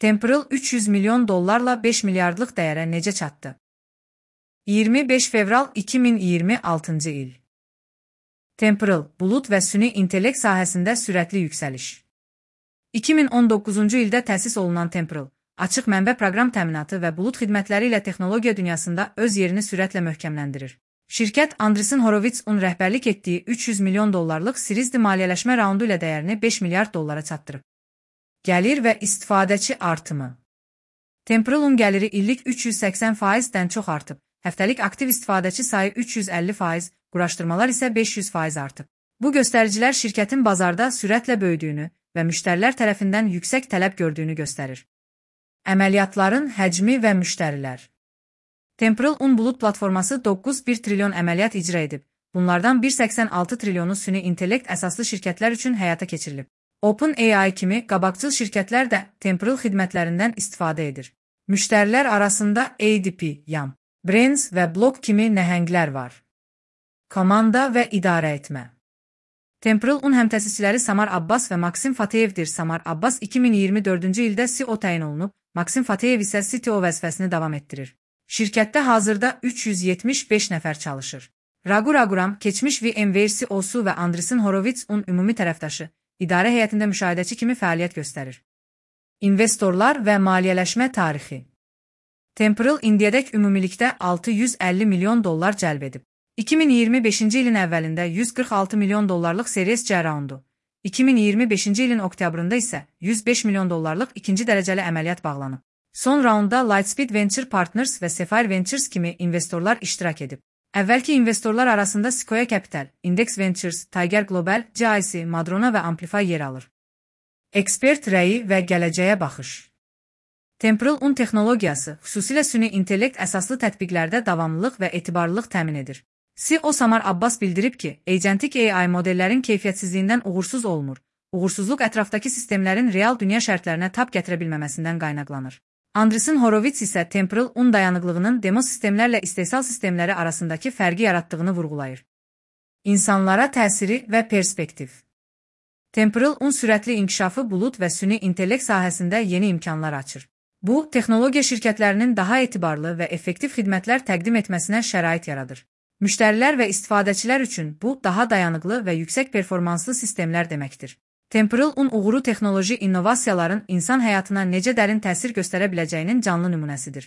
Temporal 300 milyon dollarla 5 milyardlıq dəyərə necə çatdı? 25 fevral 2026 il. Temporal, bulut və süni intellekt sahəsində sürətli yüksəliş. 2019-cu ildə təsis olunan Temporal, açıq mənbə proqram təminatı və bulut xidmətləri ilə texnologiya dünyasında öz yerini sürətlə möhkəmləndirir. Şirkət Andreessen Horowitz-un rəhbərlik etdiyi 300 milyon dollarlıq Series D maliyyələşmə raundu ilə dəyərini 5 milyard dollara çatdırıb. Gəlir və istifadəçi artımı. Temporal'un gəliri illik 380%-dən çox artıb, həftəlik aktiv istifadəçi sayı 350%, quraşdırmalar isə 500% artıb. Bu göstəricilər şirkətin bazarda sürətlə böyüdüyünü və müştərilər tərəfindən yüksək tələb gördüyünü göstərir. Əməliyyatların həcmi və müştərilər. Temporal bulut platforması 9,1 trilyon əməliyyat icra edib. Bunlardan 1,86 trilyonu süni intellekt əsaslı şirkətlər üçün həyata keçirilib. OpenAI kimi qabaqcıl şirkətlər də Temporal xidmətlərindən istifadə edir. Müştərilər arasında ADP, YAM, Brands və Block kimi nəhənglər var. Komanda və idarə etmə. Temporal həmtəsisçiləri Samar Abbas və Maksim Fateyevdir. Samar Abbas 2024-cü ildə CEO təyin olunub, Maksim Fateyev isə CTO vəzifəsini davam etdirir. Şirkətdə hazırda 375 nəfər çalışır. Raghu Raghuram, keçmiş VMware CEO-su və Andreessen Horowitz-un ümumi tərəfdaşı, idarə heyətində müşahidəçi kimi fəaliyyət göstərir. İnvestorlar və maliyyələşmə tarixi. Temporal indiyədək ümumilikdə 650 milyon dollar cəlb edib. 2025-ci ilin əvvəlində 146 milyon dollarlıq Series C raundu, 2025-ci ilin oktyabrında isə 105 milyon dollarlıq ikinci dərəcəli əməliyyat bağlanıb. Son raunda Lightspeed Venture Partners və Sapphire Ventures kimi investorlar iştirak edib. Əvvəlki investorlar arasında Sequoia Capital, Index Ventures, Tiger Global, GIC, Madrona və Amplify yer alır. Ekspert rəyi və gələcəyə baxış. Temporal texnologiyası xüsusilə süni intellekt əsaslı tətbiqlərdə davamlılıq və etibarlılıq təmin edir. CEO Samar Abbas bildirib ki, agentik AI modellərin keyfiyyətsizliyindən uğursuz olmur. Uğursuzluq ətrafdakı sistemlərin real dünya şərtlərinə tab gətirə bilməməsindən qaynaqlanır. Andreessen Horowitz isə Temporal dayanıqlığının demo sistemlərlə istehsal sistemləri arasındakı fərqi yaratdığını vurğulayır. İnsanlara təsiri və perspektiv. Temporal sürətli inkişafı bulut və süni intellekt sahəsində yeni imkanlar açır. Bu, texnologiya şirkətlərinin daha etibarlı və effektiv xidmətlər təqdim etməsinə şərait yaradır. Müştərilər və istifadəçilər üçün bu, daha dayanıqlı və yüksək performanslı sistemlər deməkdir. Temporal uğuru texnoloji innovasiyaların insan həyatına necə dərin təsir göstərə biləcəyinin canlı nümunəsidir.